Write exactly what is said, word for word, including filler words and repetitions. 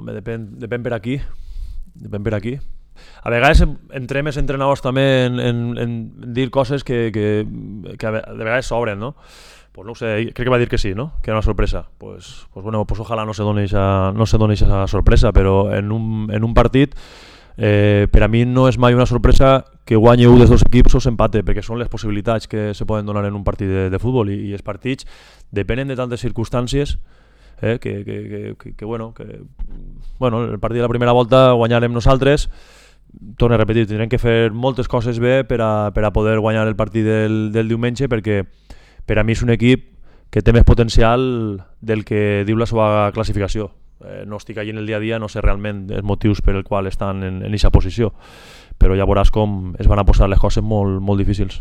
Home, depèn, depèn per aquí. Depèn per aquí. A vegades entrem els entrenadors també en, en, en dir coses que, que, que de vegades s'obren, no? Pues no ho sé, crec que va dir que sí, no? Que era una sorpresa. Pues, pues bueno, pues ojalà no se doni esa, no se doni esa sorpresa, però en un, en un partit eh, per a mi no és mai una sorpresa que guanyi un dels dos equips o s'empate, perquè són les possibilitats que se poden donar en un partit de, de futbol i, i els partits depenen de tantes circumstàncies eh, que, que, que, que, que, bueno, que bueno, el partit de la primera volta guanyarem nosaltres. Torno a repetir, tindrem que fer moltes coses bé per a, per a poder guanyar el partit del, del diumenge, perquè per a mi és un equip que té més potencial del que diu la seva classificació. Eh, no estic allí en el dia a dia, no sé realment els motius per el qual estan en aquesta posició, però ja veuràs com es van a posar les coses molt, molt difícils.